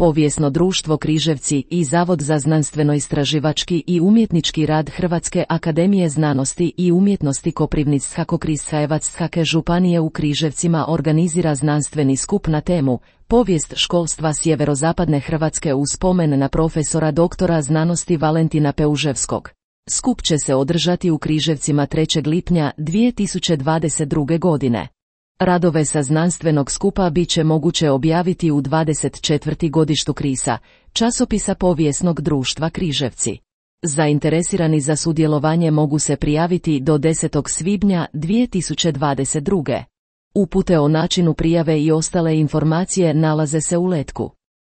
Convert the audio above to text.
Povijesno društvo Križevci i Zavod za znanstveno-istraživački i umjetnički rad Hrvatske akademije znanosti i umjetnosti Koprivničko-Križevačke županije u Križevcima organizira znanstveni skup na temu Povijest školstva sjeverozapadne Hrvatske u spomen na profesora doktora znanosti Valentina Peuževskog. Skup će se održati u Križevcima 3. lipnja 2022. godine. Radove sa znanstvenog skupa bit će moguće objaviti u 24. godištu KRIS-a, časopisa Povijesnog društva Križevci. Zainteresirani za sudjelovanje mogu se prijaviti do 10. svibnja 2022. Upute o načinu prijave i ostale informacije nalaze se u letku.